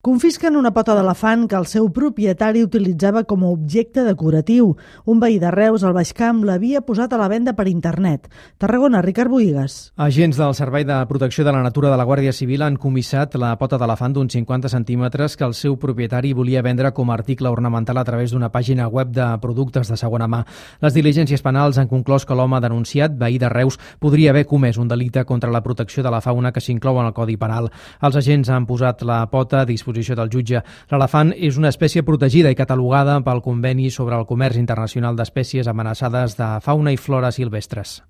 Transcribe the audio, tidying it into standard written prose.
Confisquen una pota d'elefant que el seu propietari utilitzava com a objecte decoratiu. Un veí de Reus, al Baix Camp, l'havia posat a la venda per internet. Tarragona, Ricard Bohigas. Agents del Servei de Protecció de la Natura de la Guàrdia Civil han comissat la pota d'elefant d'uns 50 centímetres que el seu propietari volia vendre com a article ornamental a través d'una pàgina web de productes de segona mà. Les diligències penals han conclòs que l'home denunciat, veí de Reus, podria haver comès un delicte contra la protecció de la fauna que s'inclou en el Codi Penal. Els agents han posat la pota a disposició del jutge. L'elefant és una espècie protegida i catalogada pel Conveni sobre el Comerç Internacional d'Espècies Amenaçades de Fauna i Flora Silvestres.